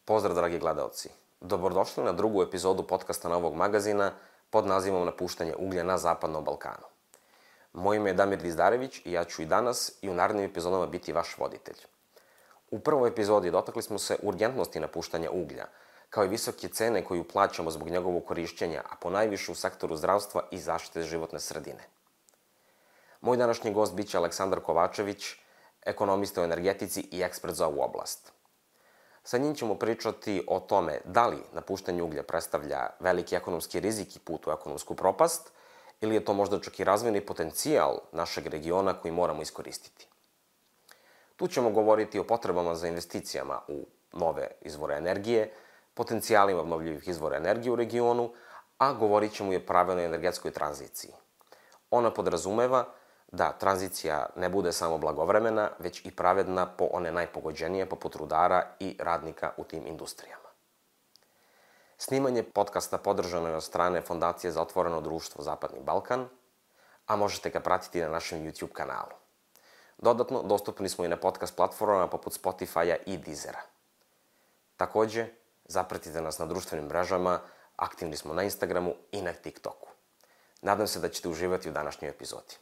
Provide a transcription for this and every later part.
Pozdrav, dragi gledaoci. Dobrodošli na drugu epizodu podcasta Novog magazina pod nazivom Napuštanje uglja na Zapadnom Balkanu. Moje ime je Damir Dizdarević i ja ću i danas i u narednim epizodama biti vaš voditelj. U prvoj epizodi dotakli smo se urgentnosti napuštanja uglja, kao i visoke cene koju plaćamo zbog njegovog korišćenja, a ponajviše u sektoru zdravstva i zaštite životne sredine. Moj današnji gost biće Aleksandar Kovačević, ekonomista u energetici i ekspert za ovu oblast. Sa njim ćemo pričati o tome da li napuštanje uglja predstavlja veliki ekonomski rizik i put u ekonomsku propast, ili je to možda čak i razvojni potencijal našeg regiona koji moramo iskoristiti. Tu ćemo govoriti o potrebama za investicijama u nove izvore energije, potencijalima obnovljivih izvora energije u regionu, a govorit ćemo i o pravilnoj energetskoj tranziciji. Ona podrazumeva da tranzicija ne bude samo blagovremena, već i pravedna po one najpogođenije, poput rudara i radnika u tim industrijama. Snimanje podcasta podržano je od strane Fondacije za otvoreno društvo Zapadni Balkan, a možete ga pratiti na našem YouTube kanalu. Dodatno, dostupni smo i na podcast platformama poput Spotify-a i Deezera. Takođe, zapratite nas na društvenim mrežama, aktivni smo na Instagramu i na TikToku. Nadam se da ćete uživati u današnjoj epizodi.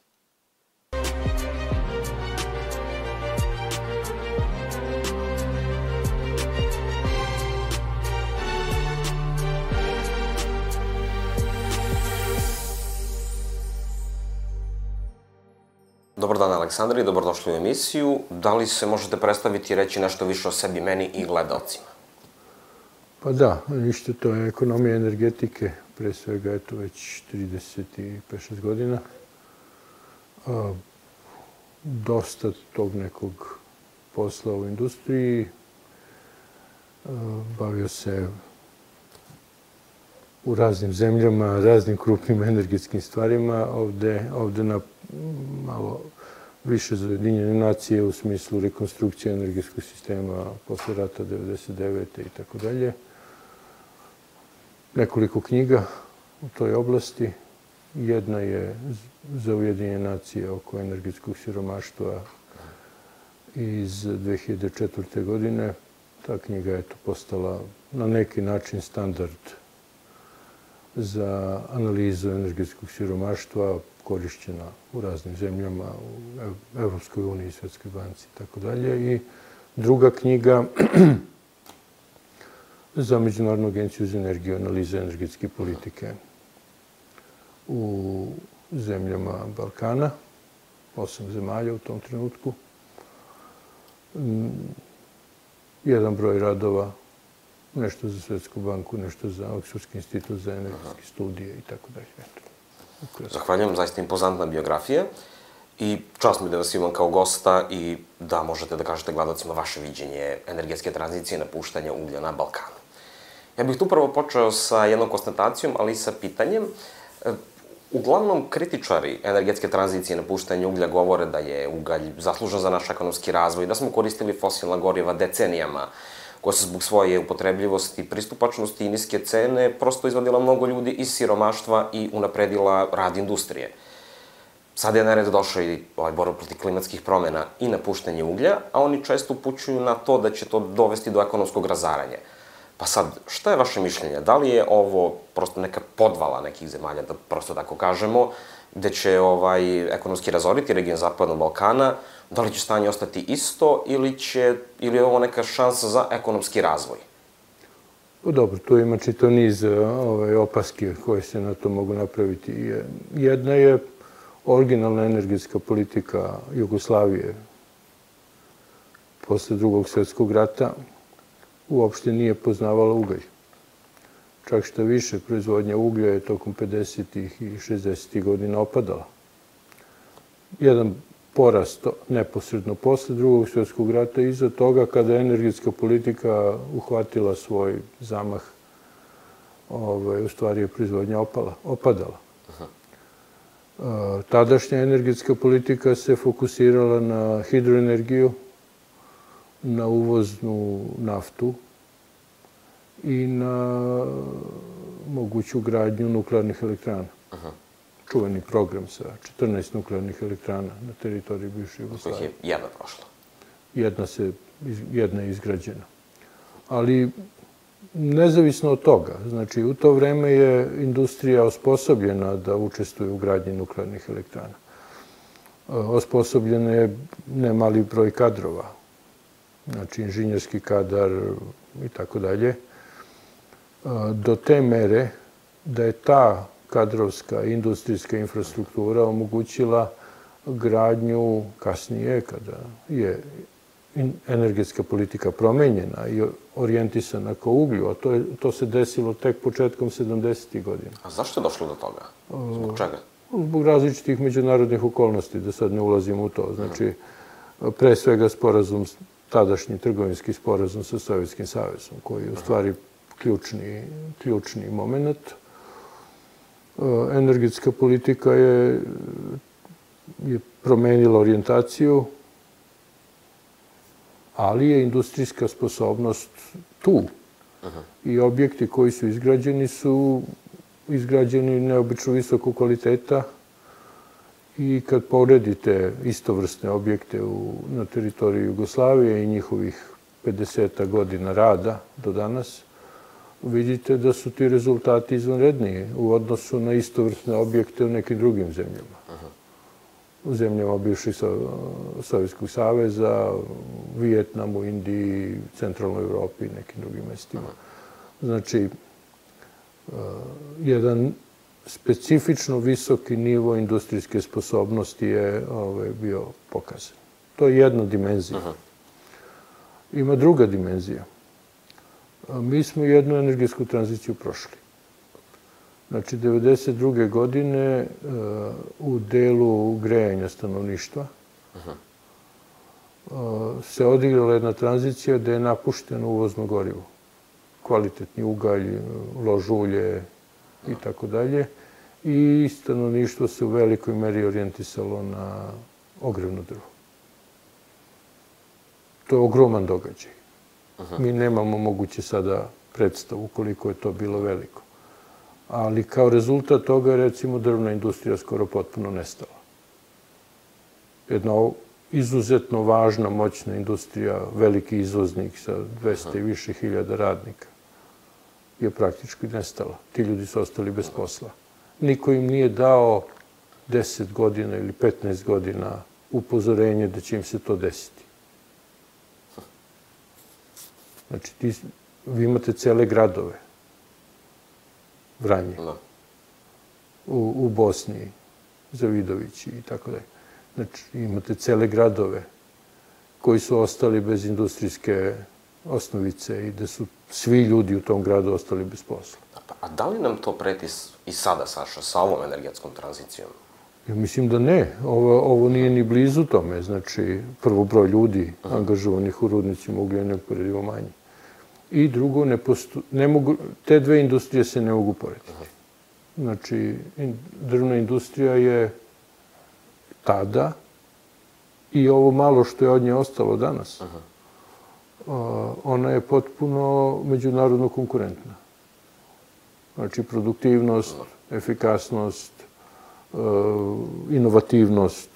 Dobar dan, Aleksandar, i dobrodošli u emisiju. Da li se možete predstaviti i reći nešto više o sebi, meni i gledaocima? Pa da, ništa, to je ekonomija energetike, pre svega, eto, već 35-6 godina. Dosta tog nekog posla u industriji. Bavio se u raznim zemljama, raznim krupnim energetskim stvarima. Ovde na malo više za Ujedinjene nacije u smislu rekonstrukcije energetskog sistema posle rata 1999. i tako dalje. Nekoliko knjiga u toj oblasti. Jedna je za Ujedinjene nacije oko energetskog siromaštva iz 2004. godine. Ta knjiga je postala na neki način standard za analizu energetskog siromaštva, korišćena u raznim zemljama, u Evropskoj uniji, Svetskoj banci i tako dalje. I druga knjiga za Međunarodnu agenciju za energiju, analiza energetske politike u zemljama Balkana, 8 zemalja u tom trenutku. Jedan broj radova, nešto za Svetsku banku, nešto za Oksfordski institut za energetske studije i tako dalje. Zahvaljujem, zaista impozantna biografija i čast mi da vas imam kao gosta i da možete da kažete gledalcima vaše viđenje energetske tranzicije i napuštanja uglja na Balkanu. Ja bih tu prvo počeo sa jednom konstatacijom, ali i sa pitanjem. Uglavnom, kritičari energetske tranzicije i napuštanja uglja govore da je ugalj zaslužan za naš ekonomski razvoj, da smo koristili fosilna goriva decenijama, koja se zbog svoje upotrebljivosti, pristupačnosti i niske cene prosto izvadila mnogo ljudi iz siromaštva i unapredila rad industrije. Sada je na red došao i borba protiv klimatskih promena i napuštanje uglja, a oni često upućuju na to da će to dovesti do ekonomskog razaranja. Pa sad, šta je vaše mišljenje? Da li je ovo prosto neka podvala nekih zemalja, da prosto tako kažemo, gde će ekonomski razoriti region Zapadnog Balkana? Da li će stanje ostati isto ili je ovo neka šansa za ekonomski razvoj? Dobro, tu ima čitav niz opaski koje se na to mogu napraviti. Jedna je originalna energetska politika Jugoslavije posle Drugog svjetskog rata uopšte nije poznavala ugalj. Čak što više, proizvodnja uglja je tokom 50. i 60. godina opadala. Jedan porast neposredno posle Drugog svjetskog rata i iza toga kada je energetska politika uhvatila svoj zamah, u stvari je proizvodnja opadala. Tadašnja energetska politika se fokusirala na hidroenergiju, na uvoznu naftu i na moguću gradnju nuklearnih elektrana. Čuveni program sa 14 nuklearnih elektrana na teritoriji bivše Jugoslavije. Kojih je jedna prošla? Jedna je izgrađena. Ali Nezavisno od toga, znači u to vreme je industrija osposobljena da učestvuje u gradnji nuklearnih elektrana. Osposobljen je nemali broj kadrova, znači inženjerski kadar i tako dalje, do te mere da je ta kadrovska industrijska infrastruktura omogućila gradnju kasnije, kada je energetska politika promenjena i orijentisana ka uglju, a to se desilo tek početkom 70. godina. A zašto je došlo do toga? Zbog čega? Zbog različitih međunarodnih okolnosti, da sad ne ulazim u to. Znači, pre svega sporazum, tadašnji trgovinski sporazum sa Sovjetskim savezom, koji je u stvari ključni moment. Energetska politika je promenila orijentaciju, ali je industrijska sposobnost tu. I objekti koji su izgrađeni neobično visokog kvaliteta i kad poredite istovrsne objekte na teritoriji Jugoslavije i njihovih 50 godina rada do danas, vidite da su ti rezultati izvanredniji u odnosu na istovrsne objekte u nekim drugim zemljama. U zemljama bivših Sovjetskog saveza, Vijetnamu, Indiji, centralnoj Evropi i nekim drugim mestima. Znači, jedan specifično visoki nivo industrijske sposobnosti je bio pokazan. To je jedna dimenzija. Ima druga dimenzija. Mi smo jednu energetsku tranziciju prošli. Znači, 1992. godine u delu grejanja stanovništva se odigrala jedna tranzicija gde je napušteno uvozno gorivo. Kvalitetni ugalj, lož ulje i tako dalje. I stanovništvo se u velikoj meri orijentisalo na ogrevno drvo. To je ogroman događaj. Mi nemamo moguće sada predstavu koliko je to bilo veliko. Ali kao rezultat toga je, recimo, drvna industrija skoro potpuno nestala. Jedna izuzetno važna, moćna industrija, veliki izvoznik sa 200 i više hiljada radnika, je praktički nestala. Ti ljudi su ostali bez posla. Niko im nije dao 10 godina ili 15 godina upozorenje da će im se to desiti. Znači, vi imate cele gradove, Vranje, u Bosni, Zavidovići i tako dalje. Znači, imate cele gradove koji su ostali bez industrijske osnovice i da su svi ljudi u tom gradu ostali bez posla. A da li nam to preti i sada, Saša, sa ovom energetskom tranzicijom? Ja mislim da ne. Ovo nije ni blizu tome. Znači, prvo, broj ljudi angažovanih u rudnicima uglja je neuporedivo manji. I drugo, te dve industrije se ne mogu porediti. Znači, drvna industrija je tada i ovo malo što je od nje ostalo danas, ona je potpuno međunarodno konkurentna. Znači, produktivnost, efikasnost, inovativnost,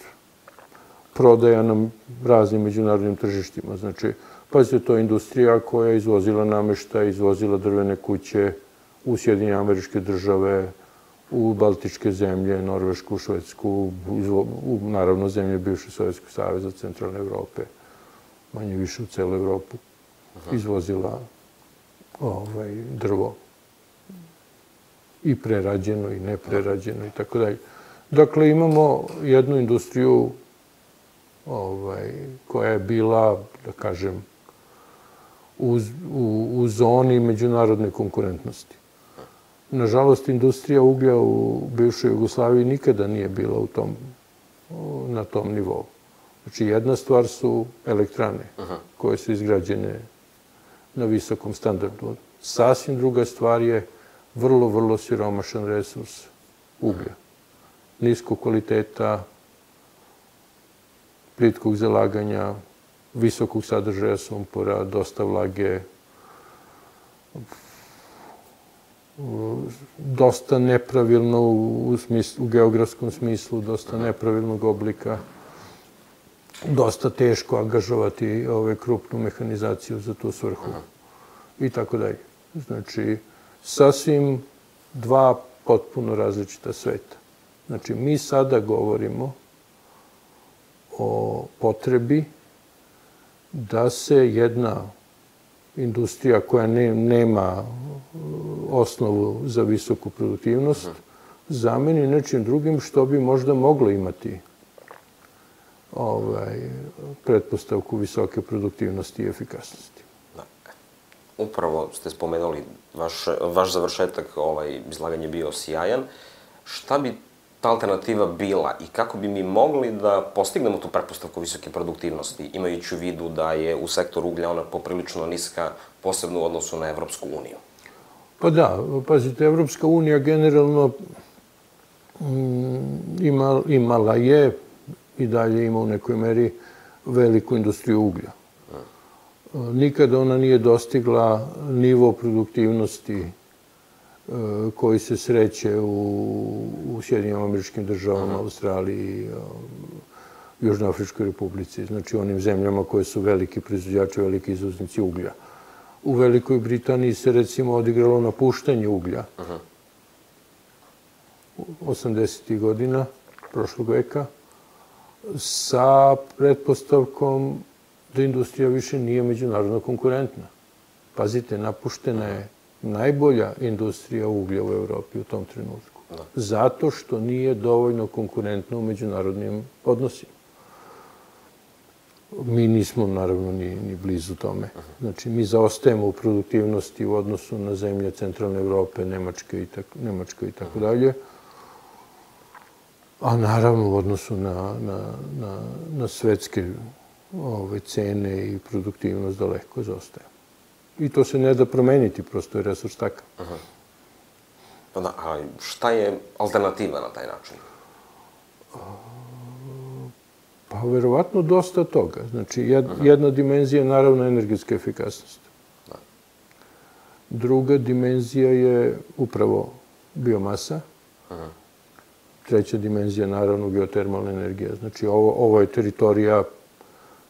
prodaja na raznim međunarodnim tržištima. Znači, pazite, to je industrija koja je izvozila nameštaj, izvozila drvene kuće u Sjedinjene Američke Države, u Baltičke zemlje, Norvešku, Švedsku, naravno zemlje bivše Sovjetskog saveza, centralne Evrope, manje više u celu Evropu, izvozila drvo. I prerađeno, i neprerađeno, i tako dalje. Dakle, imamo jednu industriju koja je bila, da kažem, u zoni međunarodne konkurentnosti. Nažalost, industrija uglja u bivšoj Jugoslaviji nikada nije bila na tom nivou. Znači, jedna stvar su elektrane koje su izgrađene na visokom standardu. Sasvim druga stvar je vrlo, vrlo siromašan resurs uglja. Niskog kvaliteta, plitkog zalaganja, visokog sadržaja sumpora, dosta vlage, dosta nepravilno u geografskom smislu, dosta nepravilnog oblika, dosta teško angažovati krupnu mehanizaciju za tu svrhu i tako dalje. Znači, sasvim dva potpuno različita sveta. Znači, mi sada govorimo o potrebi da se jedna industrija koja nema osnovu za visoku produktivnost zameni nečim drugim što bi možda moglo imati pretpostavku visoke produktivnosti i efikasnosti. Upravo ste spomenuli, vaš završetak izlaganja je bio sjajan. Šta bi ta alternativa bila i kako bi mi mogli da postignemo tu pretpostavku visoke produktivnosti, imajući u vidu da je u sektoru uglja ona poprilično niska, posebno u odnosu na Evropsku uniju? Pa da, pazite, Evropska unija generalno imala je i dalje ima u nekoj meri veliku industriju uglja. Nikada ona nije dostigla nivo produktivnosti koji se sreće u Sjedinjenim Američkim Državama, Australiji, Južnoafričkoj Republici, znači onim zemljama koje su veliki proizvođači, veliki izvoznici uglja. U Velikoj Britaniji se recimo odigralo napuštanje uglja 80. godina prošlog veka sa pretpostavkom da industrija više nije međunarodno konkurentna. Pazite, napuštena je najbolja industrija uglja u Evropi u tom trenutku. Zato što nije dovoljno konkurentna u međunarodnim odnosima. Mi nismo, naravno, ni blizu tome. Znači, mi zaostajemo u produktivnosti u odnosu na zemlje centralne Evrope, Nemačke i tako dalje. A naravno, u odnosu na svetske cene i produktivnost daleko zaostaje. I to se ne da promeniti, prosto je resurs takav. A šta je alternativa na taj način? Pa, verovatno dosta toga. Znači, jedna dimenzija je naravno energetska efikasnost. Druga dimenzija je upravo biomasa. Treća dimenzija je naravno geotermalna energija. Znači, ovo je teritorija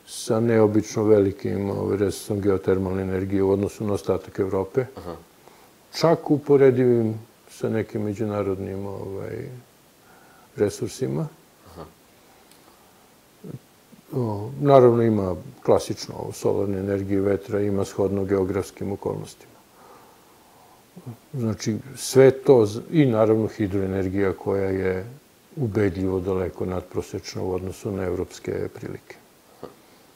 sa neobično velikim resursom geotermalne energije u odnosu na ostatak Evrope. Čak uporedivim sa nekim međunarodnim resursima. Naravno, ima klasično solarne energije vetra, ima shodno geografskim okolnostima. Znači, sve to i naravno hidroenergija koja je ubedljivo daleko nadprosečna u odnosu na evropske prilike.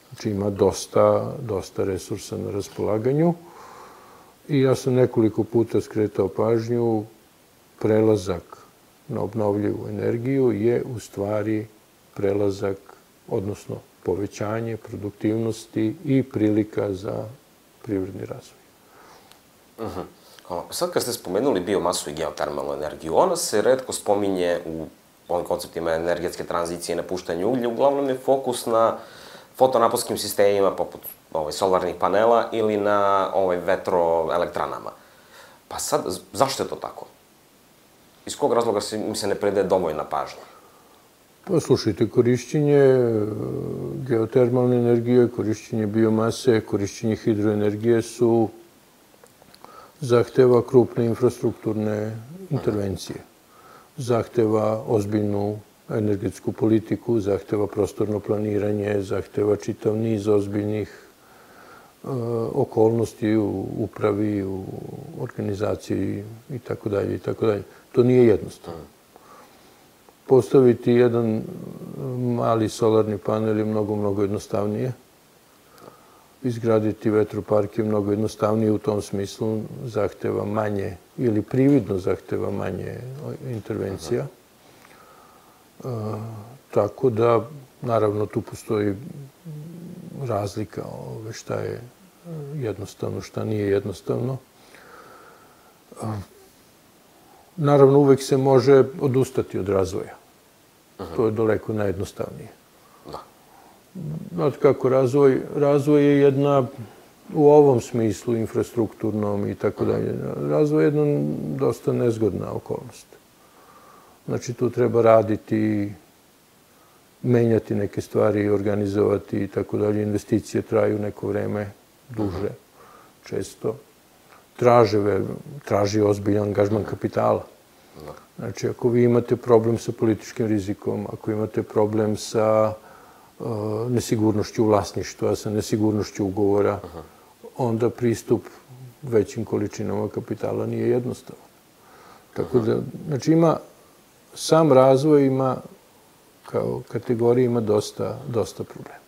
Znači, ima dosta resursa na raspolaganju i ja sam nekoliko puta skretao pažnju, prelazak na obnovljivu energiju je u stvari prelazak, odnosno povećanje produktivnosti i prilika za privredni razvoj. Sad kad ste spomenuli biomasu i geotermalnu energiju, ona se retko spominje u ovim konceptima energetske tranzicije i napuštanja uglja. Uglavnom je fokus na fotonaponskim sistemima poput solarnih panela ili na vetroelektranama. Pa sad, zašto je to tako? Iz kog razloga mi se ne predaje dovoljna pažnja? Pa slušajte, korišćenje geotermalne energije, korišćenje biomase, korišćenje hidroenergije zahteva krupne infrastrukturne intervencije. Zahteva ozbiljnu energetsku politiku, zahteva prostorno planiranje, zahteva čitav niz ozbiljnih okolnosti u upravi, u organizaciji itd. To nije jednostavno. Postaviti jedan mali solarni panel je mnogo jednostavnije. Izgraditi vetropark je mnogo jednostavnije, u tom smislu zahteva manje ili prividno zahteva manje intervencija. Tako da, naravno, tu postoji razlika šta je jednostavno, šta nije jednostavno. Naravno, uvek se može odustati od razvoja. To je daleko najjednostavnije. Znate kako, razvoj je jedna, u ovom smislu, infrastrukturnom i tako dalje, razvoj je jedna dosta nezgodna okolnost. Znači, tu treba raditi, menjati neke stvari, organizovati i tako dalje. Investicije traju neko vreme, duže, često. traži ozbiljan angažman kapitala. Znači, ako vi imate problem sa političkim rizikom, ako imate problem sa nesigurnošću vlasništva, sa nesigurnošću ugovora, onda pristup većim količinama kapitala nije jednostavan. Tako da, znači, sam razvoj ima, kao kategorija, ima dosta problema.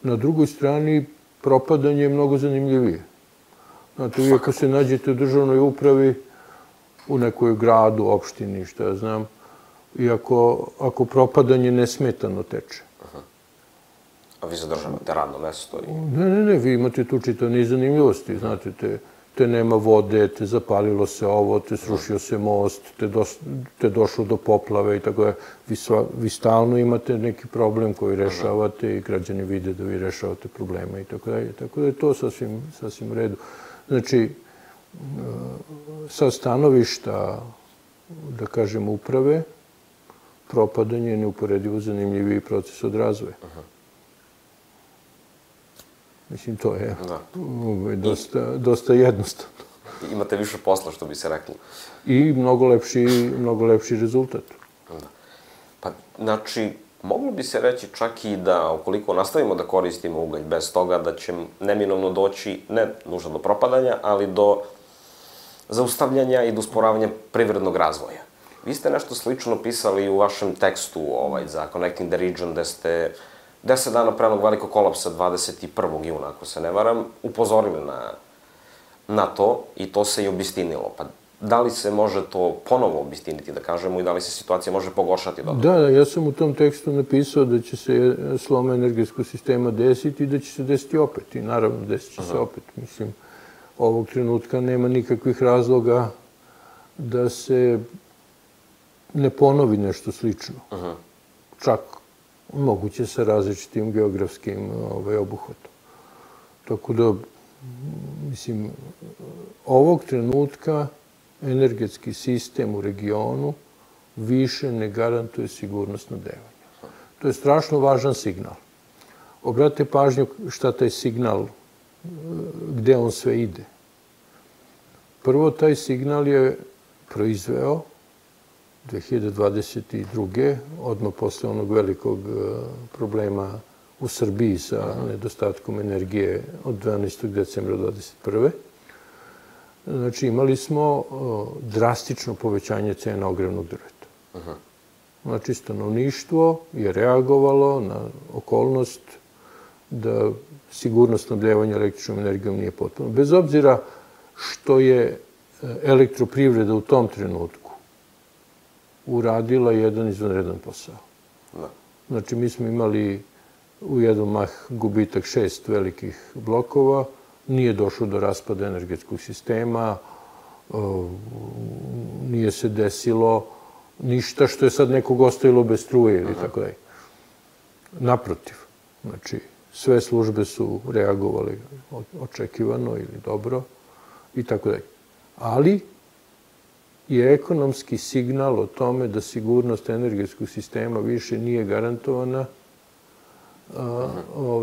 Na drugoj strani, propadanje je mnogo zanimljivije. Znate, vi ako se nađete u državnoj upravi, u nekoj gradu, opštini, što ja znam, i ako propadanje nesmetano teče. A vi zadržavate radno mesto? Ne, vi imate tu čitav niz zanimljivosti. Znate, te nema vode, te zapalilo se ovo, te srušio se most, te došlo do poplave i tako da. Vi stalno imate neki problem koji rešavate i građani vide da vi rešavate probleme i tako da. Tako da je to sasvim u redu. Znači, sa stanovišta, da kažem, uprave, propadanje je neuporedivo zanimljiviji proces od razvoja. Mislim, to je dosta jednostavno. Imate više posla, što bi se reklo. I mnogo lepši rezultat. Pa, znači, moglo bi se reći čak i da, ukoliko nastavimo da koristimo ugalj bez toga, da će neminovno doći, ne nužno do propadanja, ali do zaustavljanja i do usporavanja privrednog razvoja. Vi ste nešto slično pisali u vašem tekstu za Connecting the Region, gde ste 10 dana pre onog velikog kolapsa, 21. juna, ako se ne varam, upozorili na to i to se i obistinilo. Pa da li se može to ponovo obistiniti, da kažemo, i da li se situacija može pogoršati dodatno? Da, ja sam u tom tekstu napisao da će se slom energetskog sistema desiti i da će se desiti opet. I naravno, desit će se opet. Mislim, ovog trenutka nema nikakvih razloga da se ne ponovi nešto slično. Čak moguće sa različitim geografskim obuhvatom. Tako da, mislim, ovog trenutka energetski sistem u regionu više ne garantuje sigurnost snabdevanja. To je strašno važan signal. Obratite pažnju šta taj signal, gde on sve ide. Prvo, taj signal je proizveo 2022. odmah posle onog velikog problema u Srbiji sa nedostatkom energije od 12. decembra 2021. Znači, imali smo drastično povećanje cena ogrevnog drveta. Znači, stanovništvo je reagovalo na okolnost da sigurnost snabdevanja električnom energijom nije potpuno. Bez obzira što je elektroprivreda u tom trenutku uradila jedan izvanredan posao. Znači, mi smo imali u jedan mah gubitak 6 velikih blokova, nije došlo do raspada energetskog sistema, nije se desilo ništa što je sad nekog ostavilo bez struje ili tako dalje. Naprotiv, znači, sve službe su reagovali očekivano ili dobro i tako dalje. Ali je ekonomski signal o tome da sigurnost energetskog sistema više nije garantovana,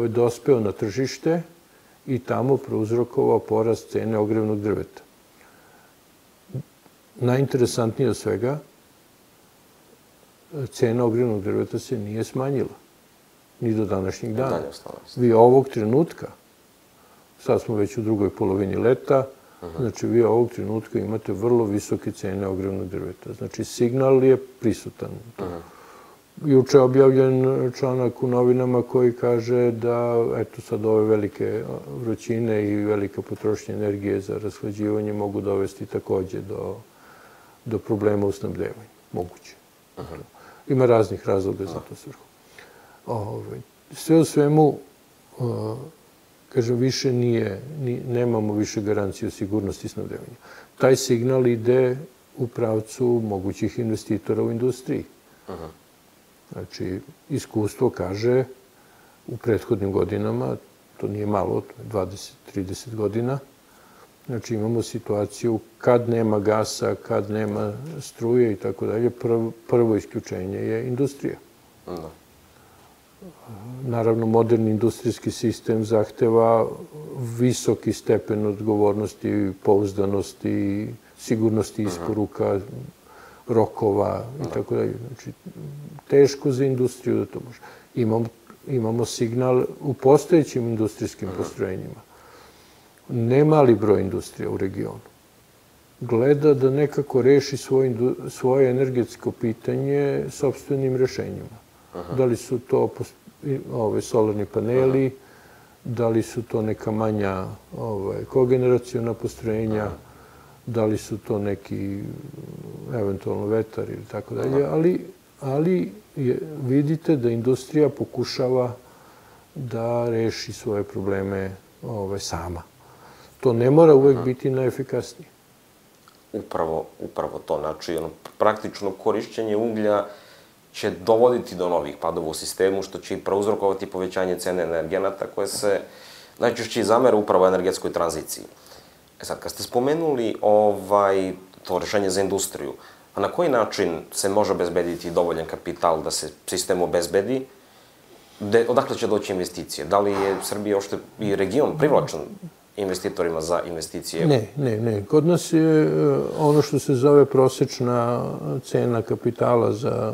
dospeo na tržište i tamo prouzrokovao porast cene ogrevnog drveta. Najinteresantnije od svega, cena ogrevnog drveta se nije smanjila. Ni do današnjeg dana. Vi ovog trenutka, sad smo već u drugoj polovini leta, znači vi ovog trenutka imate vrlo visoke cene ogrevnog drveta. Znači signal je prisutan. Juče je objavljen članak u novinama koji kaže da, eto sad ove velike vrućine i velika potrošnja energije za rashlađivanje mogu dovesti takođe do problema u snabdevanju. Moguće. Ima raznih razloga za to svrhu. Sve u svemu, kažem, više nemamo više garanciju sigurnosti snabdevanja. Taj signal ide u pravcu mogućih investitora u industriji. Znači, iskustvo kaže u prethodnim godinama, to nije malo, 20-30 godina, znači imamo situaciju kad nema gasa, kad nema struje i tako dalje, prvo isključenje je industrija. naravno, moderni industrijski sistem zahteva visoki stepen odgovornosti, pouzdanosti, sigurnosti isporuka, rokova i tako dalje. Znači, teško za industriju da to može. Imamo signal u postojećim industrijskim postrojenjima. Nemali broj industrija u regionu gleda da nekako reši svoje energetsko pitanje sopstvenim rešenjima. Da li su to solarni paneli, da li su to neka manja kogeneraciona postrojenja, da li su to neki eventualno vetar ili tako dalje, ali vidite da industrija pokušava da reši svoje probleme sama. To ne mora uvek biti najefikasnije. Upravo to. Znači, praktično korišćenje uglja će dovoditi do novih padova u sistemu, što će i prouzrokovati povećanje cene energenata koje se najčešće zamere upravo energetskoj tranziciji. Sad, kad ste spomenuli to rešenje za industriju, a na koji način se može obezbediti dovoljan kapital da se sistem obezbedi? Odakle će doći investicije? Da li je Srbija uopšte i region privlačan investitorima za investicije? Ne. Kod nas je ono što se zove prosečna cena kapitala za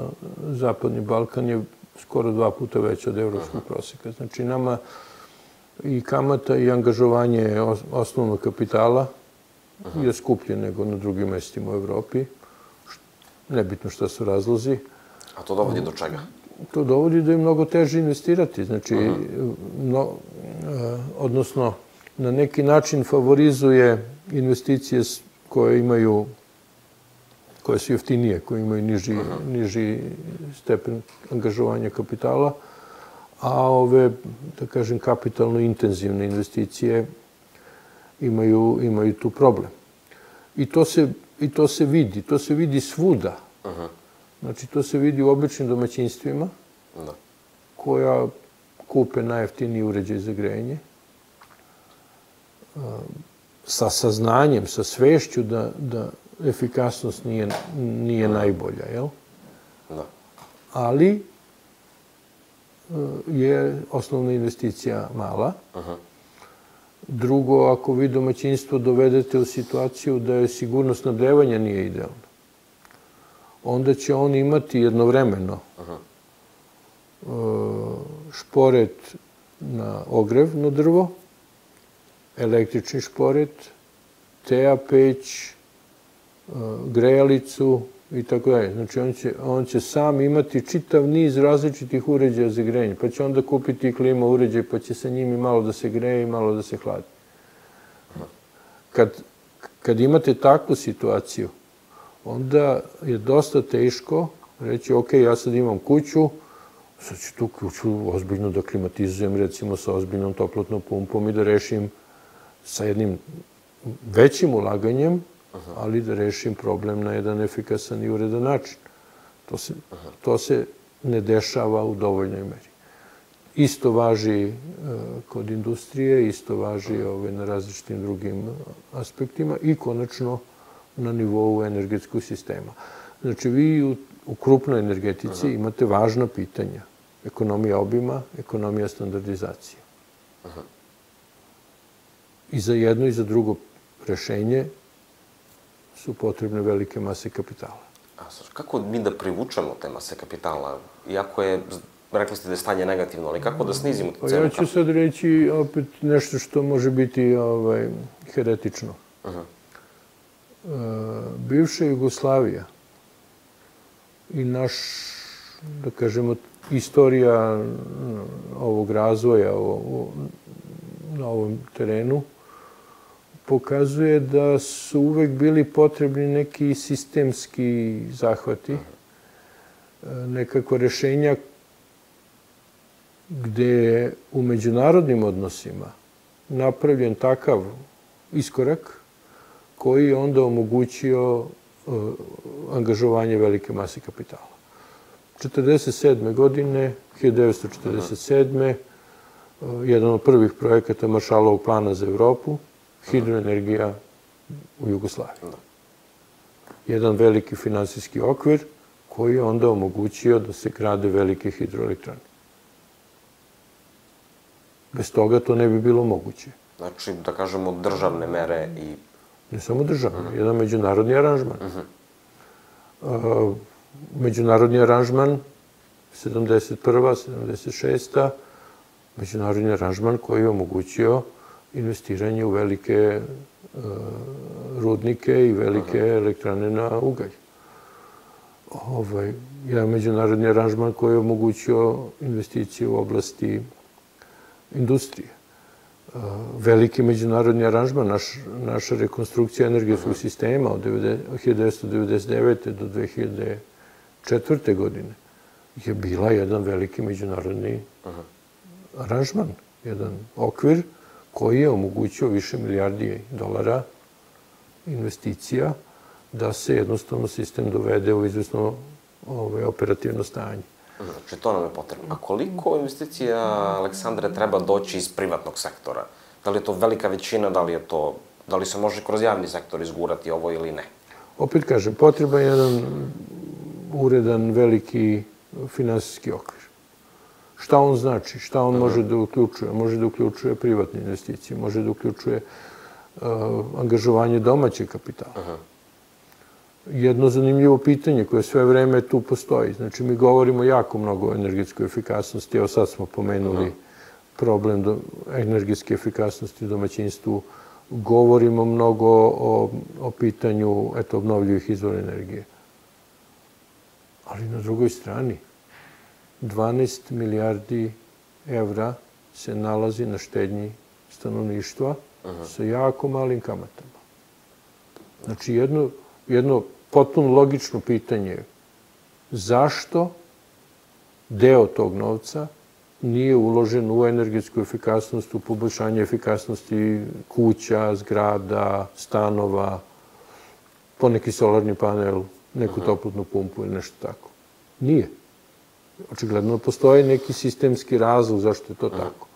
Zapadni Balkan je skoro 2 puta veća od evropskog proseka. Znači, nama i kamata i angažovanje osnovnog kapitala je skuplje nego na drugim mestima u Evropi. Nebitno šta su razlozi. A to dovodi do čega? To dovodi da je mnogo teže investirati. Znači, odnosno, na neki način favorizuje investicije koje su jeftinije, koje imaju niži stepen angažovanja kapitala, a ove, da kažem, kapitalno intenzivne investicije imaju tu problem. I to se vidi. To se vidi svuda. Znači, to se vidi u običnim domaćinstvima koja kupe najjeftiniji uređaj za grejanje sa saznanjem, sa svešću da efikasnost nije najbolja, jel? Ali je osnovna investicija mala. Drugo, ako vi domaćinstvo dovedete u situaciju da je sigurnost snabdevanja nije idealna, onda će on imati jednovremeno šporet na ogrev na drvo, električni šporet, teja peć, grejalicu i tako dalje. Znači, on će sam imati čitav niz različitih uređaja za grejanje, pa će onda kupiti klima uređaj, pa će sa njimi malo da se greje i malo da se hladi. Kad imate takvu situaciju, onda je dosta teško reći, ok, ja sad imam kuću, sad ću tu kuću ozbiljno da klimatizujem, recimo sa ozbiljnom toplotnom pumpom i da rešim sa jednim većim ulaganjem, ali da rešim problem na jedan efikasan i uredan način. To se ne dešava u dovoljnoj meri. Isto važi kod industrije, isto važi na različitim drugim aspektima i konačno na nivou energetskog sistema. Znači, vi u krupnoj energetici imate važna pitanja. Ekonomija obima, ekonomija standardizacije. I za jedno i za drugo rešenje su potrebne velike mase kapitala. Kako mi da privučemo te mase kapitala? Iako je, rekli ste da je stanje negativno, ali kako da snizimo tu cenu? Ja ću sad reći opet nešto što može biti heretično. Bivša Jugoslavija i naš, da kažemo, istorija ovog razvoja na ovom terenu pokazuje da su uvek bili potrebni neki sistemski zahvati, nekako rešenja gde je u međunarodnim odnosima napravljen takav iskorak koji je onda omogućio angažovanje velike mase kapitala. 1947. godine, 1947. jedan od prvih projekata Maršalovog plana za Evropu, hidroenergija u Jugoslaviji. Jedan veliki finansijski okvir koji je onda omogućio da se grade velike hidroelektrane. Bez toga to ne bi bilo moguće. Znači, da kažemo, državne mere i... Ne samo državne, jedan međunarodni aranžman. Međunarodni aranžman, 71. 76. Međunarodni aranžman koji je omogućio investiranje u velike rudnike i velike elektrane na ugalj. Jedan međunarodni aranžman koji je omogućio investicije u oblasti industrije. Veliki međunarodni aranžman, naša rekonstrukcija energetskog sistema od 1999. do 2004. godine je bila jedan veliki međunarodni aranžman, jedan okvir koji je omogućio više milijardi dolara investicija da se jednostavno sistem dovede u izvesno operativno stanje. Znači, to nam je potrebno. A koliko investicija, Aleksandre, treba doći iz privatnog sektora? Da li je to velika većina, da li se može kroz javni sektor izgurati ovo ili ne? Opet kažem, potreban je jedan uredan, veliki finansijski okvir. Šta on znači? Šta on može da uključuje? Može da uključuje privatne investicije, može da uključuje angažovanje domaćeg kapitala. Jedno zanimljivo pitanje koje sve vreme tu postoji. Znači, mi govorimo jako mnogo o energetskoj efikasnosti. Evo sad smo pomenuli problem energetske efikasnosti u domaćinstvu. Govorimo mnogo o pitanju obnovljivih izvora energije. Ali na drugoj strani, 12 milijardi evra se nalazi na štednji stanovništva sa jako malim kamatama. Znači, jedno potpuno logično pitanje je zašto deo tog novca nije uložen u energetsku efikasnost, u poboljšanje efikasnosti kuća, zgrada, stanova, poneki solarni panel, neku toplotnu pumpu ili nešto tako. Nije. Očigledno postoji neki sistemski razlog zašto je to tako.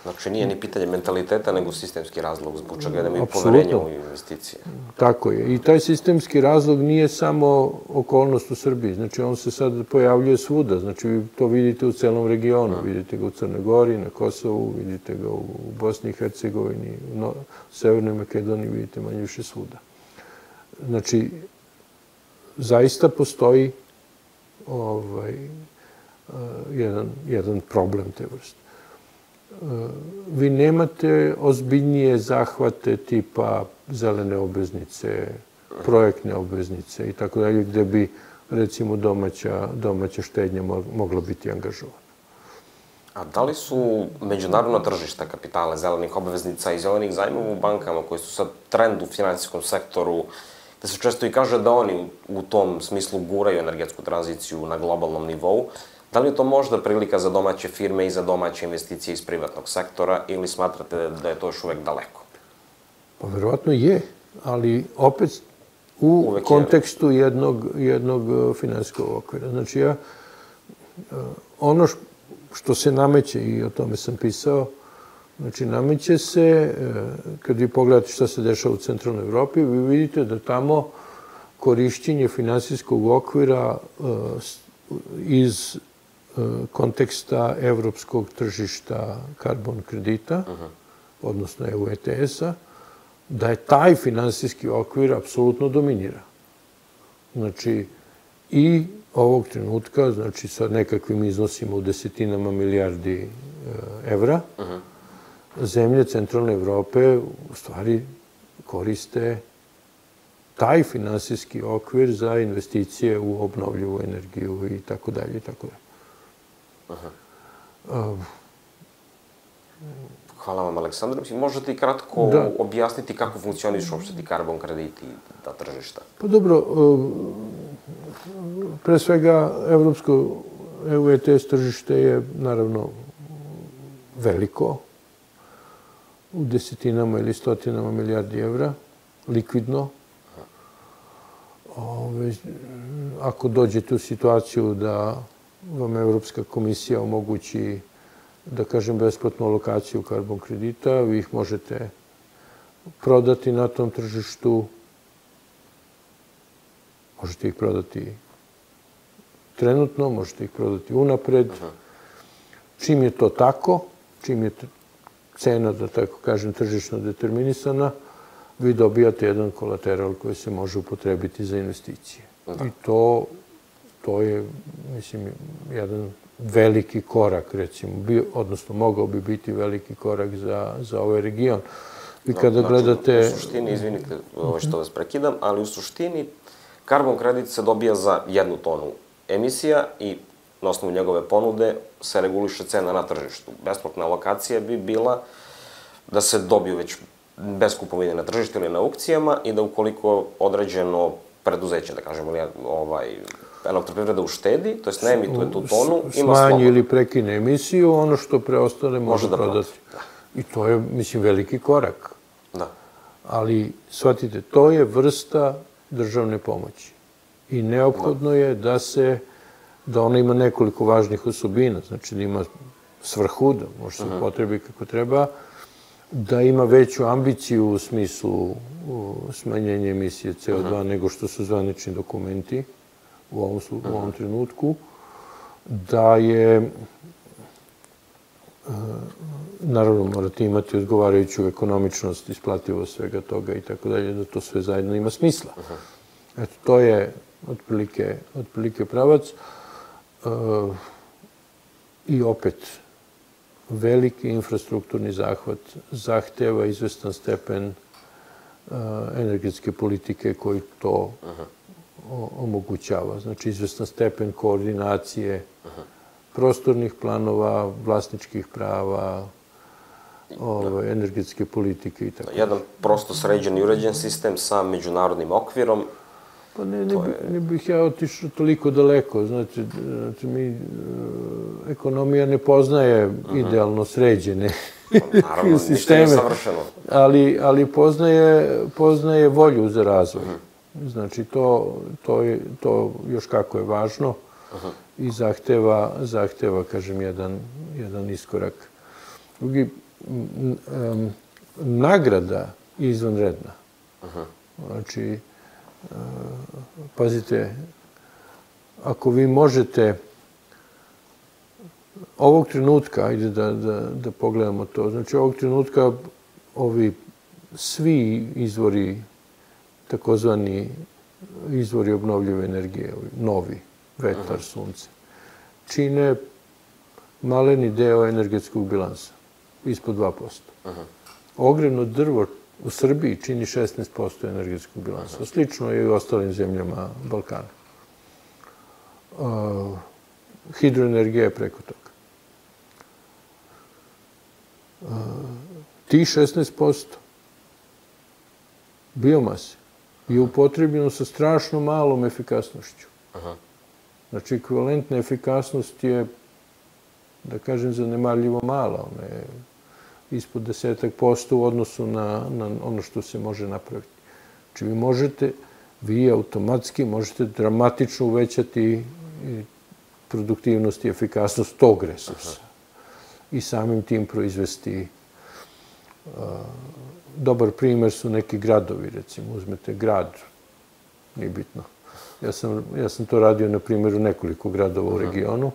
Znači, nije ni pitanje mentaliteta, nego sistemski razlog zbog čega da imaju poverenje u investicije. Tako je. I taj sistemski razlog nije samo okolnost u Srbiji. Znači, on se sad pojavljuje svuda. Znači, vi to vidite u celom regionu. Vidite ga u Crnoj Gori, na Kosovu, vidite ga u Bosni i Hercegovini, u Severnoj Makedoniji, vidite manje više svuda. Znači, zaista postoji jedan problem te vrste. Vi nemate ozbiljnije zahvate tipa zelene obveznice, projektne obveznice i tako dalje, gde bi, recimo, domaća štednja mogla biti angažovana. A da li su međunarodna tržišta kapitala, zelenih obveznica i zelenih zajmova u bankama, koji su sad trend u finansijskom sektoru, gde se često i kaže da oni u tom smislu guraju energetsku tranziciju na globalnom nivou, da li je to možda prilika za domaće firme i za domaće investicije iz privatnog sektora ili smatrate da je to još uvek daleko? Pa verovatno je, ali opet u kontekstu jednog finansijskog okvira. Znači, ono što se nameće, i o tome sam pisao, znači, nameće se, kad vi pogledate šta se dešava u centralnoj Evropi, vi vidite da tamo korišćenje finansijskog okvira iz konteksta evropskog tržišta karbon kredita, odnosno EU ETS-a, da je taj finansijski okvir apsolutno dominira. Znači, i ovog trenutka, znači sa nekakvim iznosima u desetinama milijardi evra, zemlje centralne Evrope u stvari koriste taj finansijski okvir za investicije u obnovljivu energiju i tako dalje i tako dalje. Hvala vam, Aleksandar. Možete i kratko objasniti kako funkcionišu uopšte ti karbon krediti i ta tržišta? Pa dobro, pre svega evropsko EU ETS tržište je naravno veliko, u desetinama ili stotinama milijardi evra, likvidno. Ako dođete u situaciju da vam Evropska komisija omogući, da kažem, besplatnu alokaciju karbon kredita, vi ih možete prodati na tom tržištu, možete ih prodati trenutno, možete ih prodati unapred. Čim je to tako, čim je cena, da tako kažem, tržišno determinisana, vi dobijate jedan kolateral koji se može upotrebiti za investicije. I to je, mislim, jedan veliki korak, recimo, odnosno mogao bi biti veliki korak za ovaj region. I kada gledate... U suštini, izvinite što vas prekidam, ali u suštini karbon kredit se dobija za 1 tonu emisija i na osnovu njegove ponude se reguliše cena na tržištu. Besplatna alokacija bi bila da se dobiju već bez kupovine na tržištu ili na aukcijama i da ukoliko određeno preduzeće, da kažemo, elektroprivreda uštedi, to jest ne emituje tu tonu, ima slobodno. Smanji ili prekine emisiju, ono što preostane može prodati. I to je, mislim, veliki korak. Da. Ali, shvatite, to je vrsta državne pomoći. I neophodno je da ona ima nekoliko važnih osobina, znači da ima svrhu, da može se upotrebi kako treba, da ima veću ambiciju u smislu smanjenja emisije CO2 nego što su zvanični dokumenti u ovom trenutku, da je, naravno, morate imati odgovarajuću ekonomičnost, isplativost svega toga i tako dalje, da to sve zajedno ima smisla. Eto, to je otprilike pravac. I opet, veliki infrastrukturni zahvat zahteva izvestan stepen energetske politike koji to omogućava. Znači, izvestan stepen koordinacije prostornih planova, vlasničkih prava, energetske politike i tako. Jedan prosto sređen i uređen sistem sa međunarodnim okvirom. Pa ne bih ja otišao toliko daleko. Znači, ekonomija ne poznaje idealno sređene Naravno, ništa nije savršeno. Ali poznaje volju za razvoj. Znači, to još kako je važno i zahteva, kažem, jedan iskorak. Drugi, nagrada je izvanredna. Znači, pazite, ako vi možete ovog trenutka, ajde da pogledamo to, znači ovog trenutka ovi svi izvori, takozvani izvori obnovljive energije, novi, vetar, sunce, čine maleni deo energetskog bilansa, ispod 2%. Ogrevno drvo u Srbiji čini 16% energetskog bilansa. Slično je i u ostalim zemljama Balkana. Hidroenergija je preko toga. Ti 16% biomase je upotrebljeno sa strašno malom efikasnošću. Znači, ekvivalentna efikasnost je, da kažem, zanemarljivo mala. Ona je ispod 10% u odnosu na ono što se može napraviti. Znači, vi automatski možete dramatično uvećati produktivnost i efikasnost tog resursa. I samim tim proizvesti. Dobar primer su neki gradovi, recimo. Uzmete grad, nije bitno. Ja sam to radio na primjeru nekoliko gradova u regionu.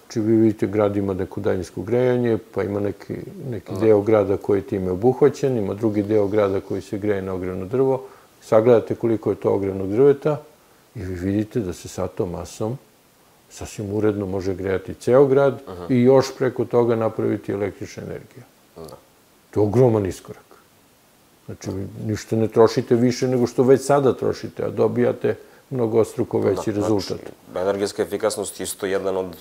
Znači, vi vidite, grad ima neko daljinsko grejanje, pa ima neki deo grada koji je time obuhvaćen, ima drugi deo grada koji se greje na ogrevno drvo. Sagledate koliko je to ogrevnog drveta i vi vidite da se sa tom masom sasvim uredno može grejati ceo grad i još preko toga napraviti električna energija. To je ogroman iskorak. Znači, ništa ne trošite više nego što već sada trošite, a dobijate mnogostruko veći rezultat. Energetska efikasnost je isto jedan od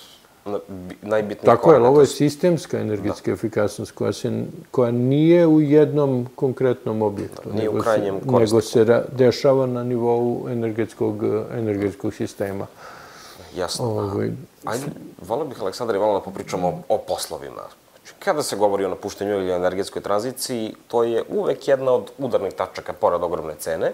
najbitnijih koraka. Tako je, ali ovo je sistemska energetska efikasnost koja nije u jednom konkretnom objektu, nego se dešava na nivou energetskog sistema. Jasno. Ajde, volio bih, Aleksandar, malo da popričamo o poslovima. Kada se govori o napuštanju ili o energetskoj tranziciji, to je uvek jedna od udarnih tačaka, pored ogromne cene.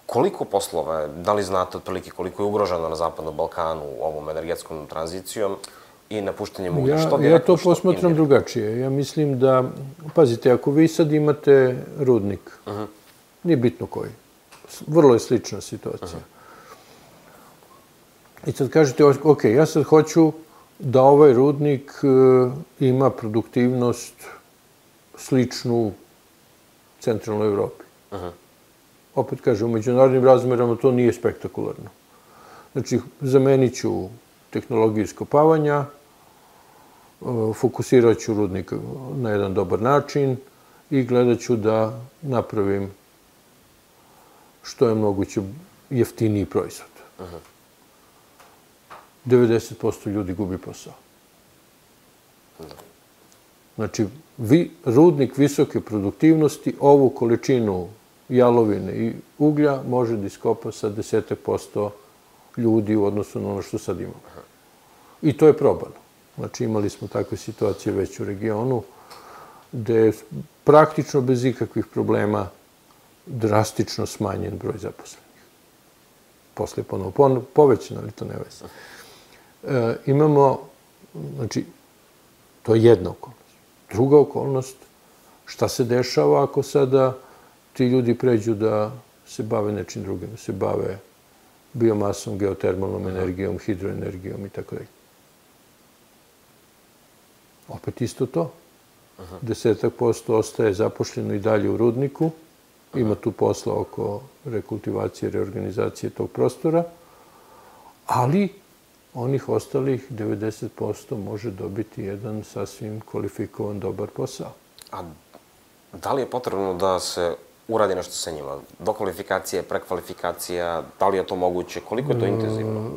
Koliko poslova, da li znate otprilike koliko je ugroženo na Zapadnom Balkanu ovom energetskom tranzicijom i napuštanjem uglja? Ja to posmatram drugačije. Ja mislim da, pazite, ako vi sad imate rudnik, nije bitno koji, vrlo je slična situacija. I sad kažete, ok, ja sad hoću da ovaj rudnik ima produktivnost sličnu centralnoj Evropi. Opet kažem, u međunarodnim razmerama to nije spektakularno. Znači, zamenit ću tehnologiju iskopavanja, fokusirat ću rudnik na jedan dobar način i gledat ću da napravim što je moguće jeftiniji proizvod. 90% ljudi gubi posao. Znači, rudnik visoke produktivnosti ovu količinu jalovine i uglja može da iskopa sa 10% ljudi u odnosu na ono što sad imamo. I to je probano. Znači, imali smo takve situacije već u regionu, gde je praktično bez ikakvih problema drastično smanjen broj zaposlenih. Posle ponovo povećan, ali to ne veze. Imamo, znači, to je jedna okolnost. Druga okolnost, šta se dešava ako sada ti ljudi pređu da se bave nečim drugim, da se bave biomasom, geotermalnom energijom, hidroenergijom i tako dalje. Opet isto to. 10% ostaje zapošljeno i dalje u rudniku. Ima tu posla oko rekultivacije, reorganizacije tog prostora, ali onih ostalih 90% može dobiti jedan sasvim kvalifikovan, dobar posao. A da li je potrebno da se uradi nešto sa njima? Dokvalifikacija, prekvalifikacija, da li je to moguće? Koliko je to intenzivno?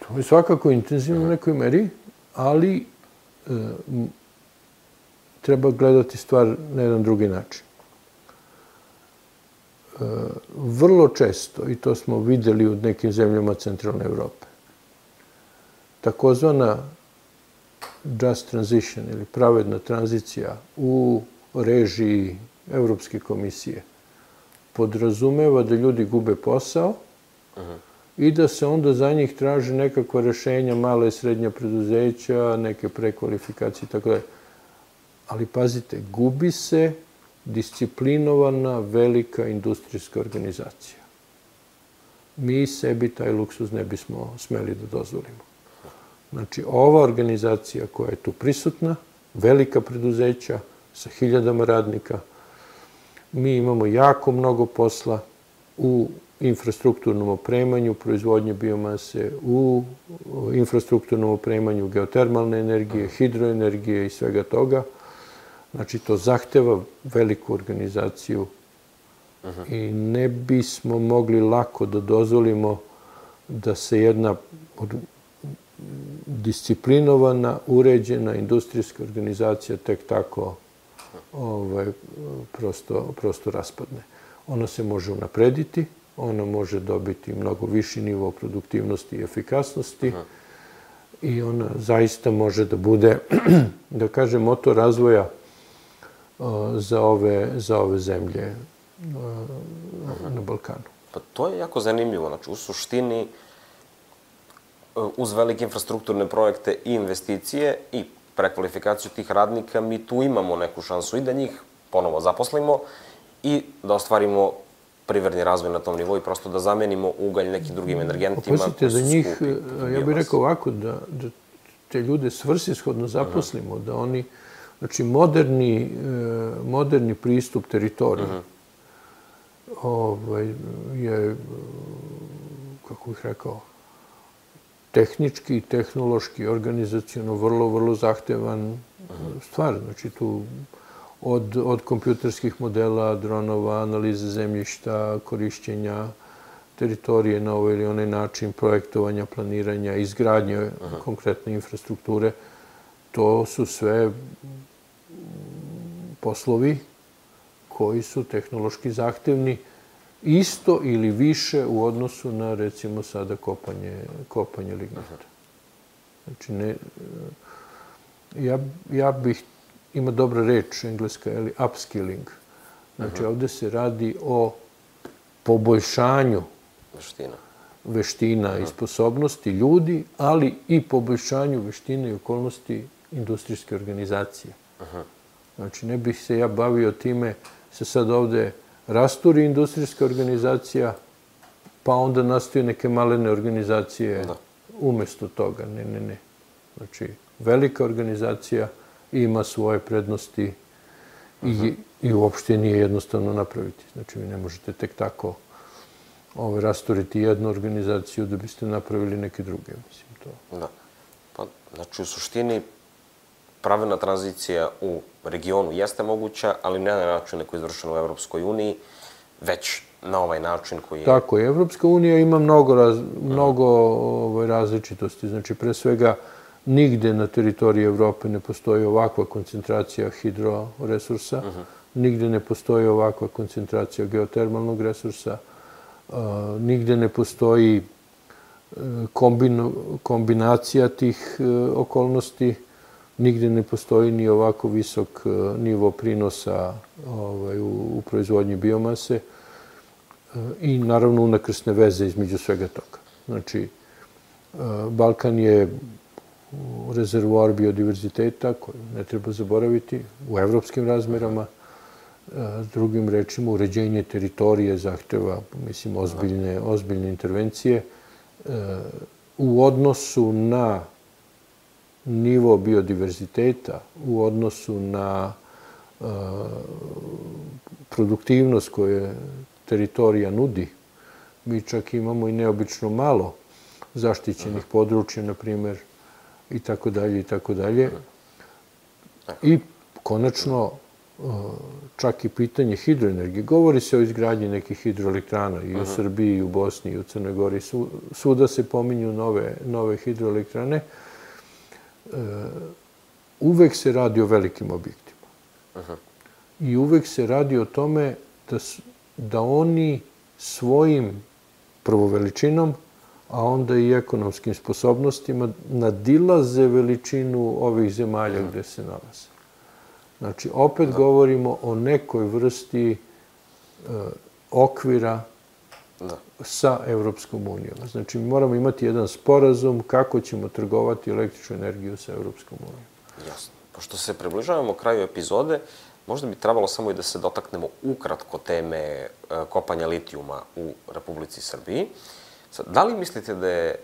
To je svakako intenzivno u nekoj meri, ali treba gledati stvar na jedan drugi način. Vrlo često, i to smo videli u nekim zemljama centralne Evrope, takozvana just transition ili pravedna tranzicija u režiji Evropske komisije podrazumeva da ljudi gube posao i da se onda za njih traži nekakva rešenja, mala i srednja preduzeća, neke prekvalifikacije i tako dalje. Ali pazite, gubi se disciplinovana velika industrijska organizacija. Mi sebi taj luksuz ne bismo smeli da dozvolimo. Znači, ova organizacija koja je tu prisutna, velika preduzeća sa 1000 radnika, mi imamo jako mnogo posla u infrastrukturnom opremanju, proizvodnje biomase, u infrastrukturnom opremanju geotermalne energije, hidroenergije i svega toga. Znači, to zahteva veliku organizaciju i ne bismo mogli lako da dozvolimo da se jedna disciplinovana, uređena industrijska organizacija tek tako prosto raspadne. Ona se može unaprediti, ona može dobiti mnogo viši nivo produktivnosti i efikasnosti i ona zaista može da bude, da kažem, motor razvoja za ove zemlje na Balkanu. Pa to je jako zanimljivo. Znači, u suštini, uz velike infrastrukturne projekte i investicije i prekvalifikaciju tih radnika, mi tu imamo neku šansu i da njih ponovo zaposlimo i da ostvarimo privredni razvoj na tom nivou i prosto da zamenimo ugalj nekim drugim energentima. Opustite da njih, ja bih rekao ovako, da te ljude svrsishodno zaposlimo, da oni, znači moderni pristup teritoriji je, kako bih rekao, tehnički, tehnološki, organizacijono vrlo, vrlo zahtevan stvar. Znači tu od kompjuterskih modela, dronova, analize zemljišta, korišćenja teritorije na ovaj ili onaj način, projektovanja, planiranja, izgradnje konkretne infrastrukture, to su sve poslovi koji su tehnološki zahtevni isto ili više u odnosu na, recimo, sada kopanje lignita. Znači, ja bih, ima dobra reč engleska, upskilling. Znači, ovde se radi o poboljšanju veština i sposobnosti ljudi, ali i poboljšanju veština i okolnosti industrijske organizacije. Znači, ne bih se ja bavio time, se sad ovde rasturi industrijska organizacija, pa onda nastaju neke malene organizacije umesto toga. Ne. Znači, velika organizacija ima svoje prednosti i uopšte nije jednostavno napraviti. Znači, vi ne možete tek tako rasturiti jednu organizaciju da biste napravili neke druge, mislim to. Da. Pa, znači, u suštini, pravilna tranzicija u regionu jeste moguća, ali ne na način na koji je izvršeno u Evropskoj uniji, već na ovaj način koji je... Tako je. Evropska unija ima mnogo različitosti. Znači, pre svega, nigde na teritoriji Evrope ne postoji ovakva koncentracija hidroresursa, nigde ne postoji ovakva koncentracija geotermalnog resursa, nigde ne postoji kombinacija tih okolnosti, nigde ne postoji ni ovako visok nivo prinosa u proizvodnji biomase i naravno unakrsne veze između svega toga. Znači, Balkan je rezervoar biodiverziteta koji ne treba zaboraviti u evropskim razmerama. Drugim rečima, uređenje teritorije zahteva, mislim, ozbiljne intervencije. U odnosu na nivo biodiverziteta, u odnosu na produktivnost koje teritorija nudi, mi čak imamo i neobično malo zaštićenih područja, na primjer, i tako dalje, i tako dalje. I konačno, čak i pitanje hidroenergije. Govori se o izgradnji nekih hidroelektrana i u Srbiji, i u Bosni, i u Crnoj Gori. Svuda se pominju nove hidroelektrane. Uvek se radi o velikim objektima. I uvek se radi o tome da oni svojim prvo veličinom, a onda i ekonomskim sposobnostima nadilaze veličinu ovih zemalja gde se nalaze. Znači, opet govorimo o nekoj vrsti okvira sa Evropskom unijom. Znači, mi moramo imati jedan sporazum kako ćemo trgovati električnu energiju sa Evropskom unijom. Jasno. Pošto se približavamo kraju epizode, možda bi trebalo samo i da se dotaknemo ukratko teme kopanja litijuma u Republici Srbiji. Da li mislite da je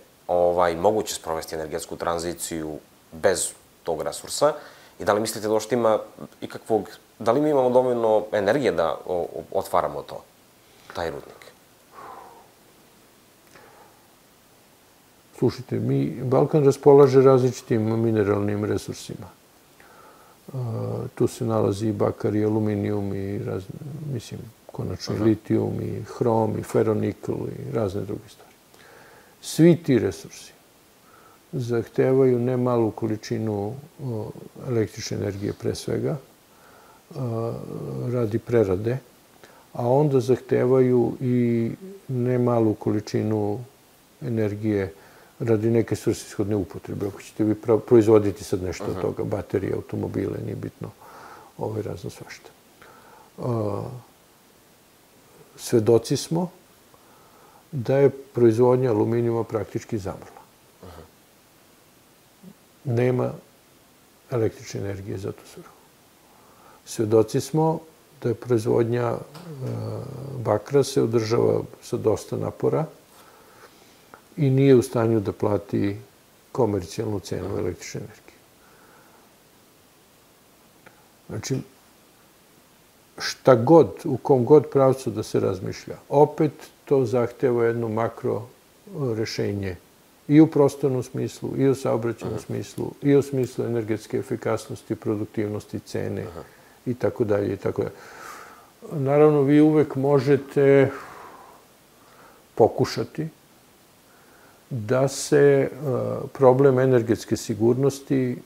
moguće sprovesti energetsku tranziciju bez tog resursa i da li mislite da uopšte ima ikakvog, da li mi imamo dovoljno energije da otvaramo taj rudnik? Slušajte, Balkan raspolaže različitim mineralnim resursima. Tu se nalazi i bakar, i aluminijum, i mislim, konačno i litijum, i hrom, i feronikl, i razne druge stvari. Svi ti resursi zahtevaju ne malu količinu električne energije pre svega, radi prerade, a onda zahtevaju i ne malu količinu energije radi neke svrsishodne upotrebe. Ako ćete vi proizvoditi sad nešto od toga, baterije, automobile, nije bitno, razno svašta. Svedoci smo da je proizvodnja aluminijuma praktički zamrla. Nema električne energije za tu svrhu. Svedoci smo da je proizvodnja bakra se održava sa dosta napora i nije u stanju da plati komercijalnu cenu električne energije. Znači, šta god, u kom god pravcu da se razmišlja, opet to zahteva jedno makro rešenje i u prostornom smislu, i u saobraćajnom smislu, i u smislu energetske efikasnosti, produktivnosti, cene i tako dalje i tako dalje. Naravno, vi uvek možete pokušati da se problem energetske sigurnosti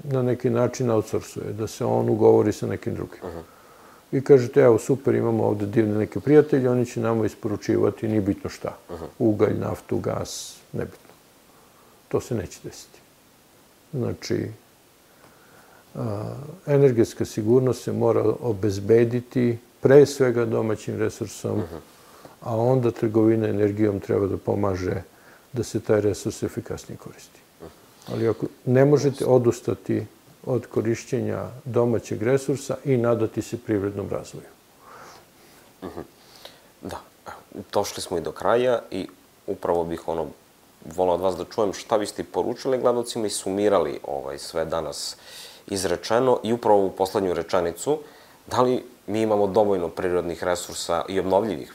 na neki način outsourcuje, da se on ugovori sa nekim drugim. Vi kažete, evo, super, imamo ovde divne neke prijatelje, oni će nama isporučivati, nije bitno šta. Ugalj, naftu, gas, nebitno. To se neće desiti. Znači, energetska sigurnost se mora obezbediti pre svega domaćim resursom, a onda trgovina energijom treba da pomaže da se taj resurs efikasnije koristi. Ali ako ne možete odustati od korišćenja domaćeg resursa i nadati se privrednom razvoju. Da, došli smo i do kraja i upravo bih volao od vas da čujem šta biste poručili gledalcima i sumirali sve danas izrečeno i upravo u poslednju rečenicu, da li mi imamo dovoljno prirodnih resursa i obnovljivih,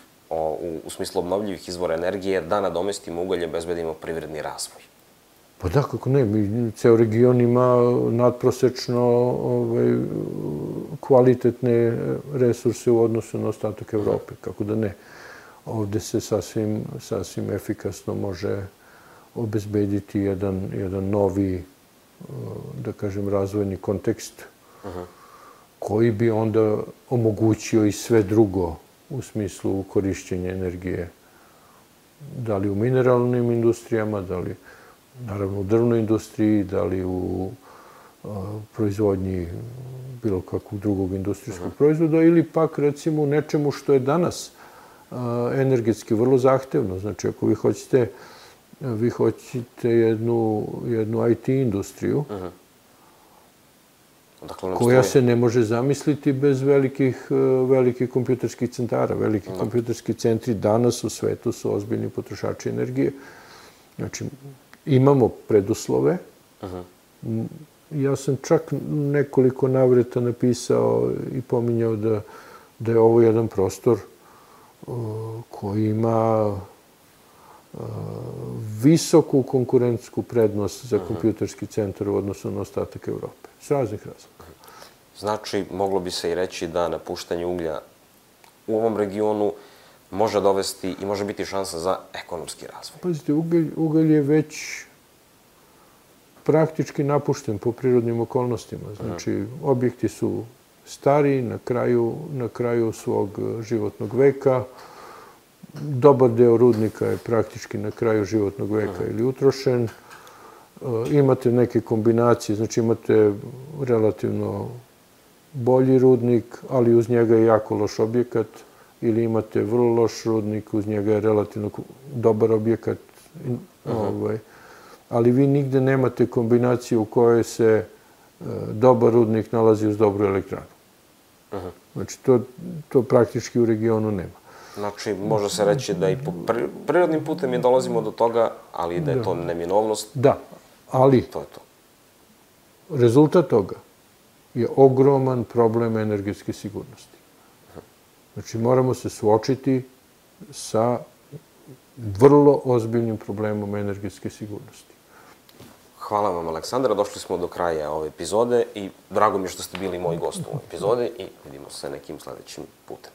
u smislu obnovljivih izvora energije, da nadomestimo ugalj, obezbedimo privredni razvoj? Pa da, kako ne, ceo region ima nadprosečno kvalitetne resurse u odnosu na ostatak Evrope, kako da ne. Ovde se sasvim efikasno može obezbediti jedan novi, da kažem, razvojni kontekst koji bi onda omogućio i sve drugo u smislu korišćenja energije, da li u mineralnim industrijama, da li naravno u drvnoj industriji, da li u proizvodnji bilo kakvog drugog industrijskog proizvoda ili pak recimo u nečemu što je danas energetski vrlo zahtevno. Znači, ako vi hoćete jednu IT industriju koja se ne može zamisliti bez velikih kompjuterskih centara. Veliki kompjuterski centri danas u svetu su ozbiljni potrošači energije. Znači, imamo preduslove. Ja sam čak nekoliko navrata napisao i pominjao da je ovo jedan prostor koji ima visoku konkurentsku prednost za kompjuterski centar u odnosu na ostatak Evrope. S raznih razloga. Znači, moglo bi se i reći da napuštanje uglja u ovom regionu može dovesti i može biti šansa za ekonomski razvoj. Pazite, ugalj je već praktički napušten po prirodnim okolnostima. Znači, objekti su stari, na kraju svog životnog veka. Dobar deo rudnika je praktički na kraju životnog veka ili utrošen. Imate neke kombinacije, znači imate relativno bolji rudnik, ali uz njega je jako loš objekat, ili imate vrlo loš rudnik, uz njega je relativno dobar objekat, ali vi nigde nemate kombinaciju u kojoj se dobar rudnik nalazi uz dobru elektranu. Znači, to praktički u regionu nema. Znači, može se reći da i prirodnim putem mi dolazimo do toga, ali da je to neminovnost. Da, ali to je to. Rezultat toga je ogroman problem energetske sigurnosti. Znači, moramo se suočiti sa vrlo ozbiljnim problemom energetske sigurnosti. Hvala vam, Aleksandra. Došli smo do kraja ove epizode i drago mi je što ste bili moj gost u ovoj epizodi i vidimo se nekim sledećim putem.